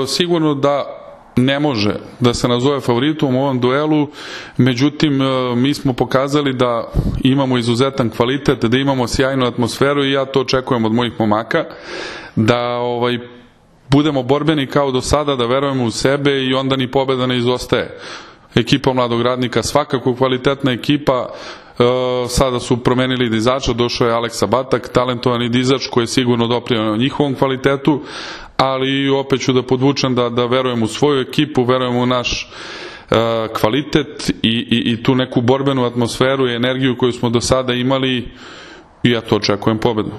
Sigurno da ne može da se nazove favoritom u ovom duelu, međutim mi smo pokazali da imamo izuzetan kvalitet, da imamo sjajnu atmosferu i ja to očekujem od mojih momaka, da budemo borbeni kao do sada, da verujemo u sebe i onda ni pobeda ne izostaje. Ekipa Mladog Radnika svakako kvalitetna ekipa, sada su promenili dizača, došao je Aleksa Batak, talentovani dizač koji je sigurno doprineo njihovom kvalitetu, ali opet ću da podvučem da verujem u svoju ekipu, verujem u naš kvalitet i tu neku borbenu atmosferu i energiju koju smo do sada imali i ja to očekujem pobedu.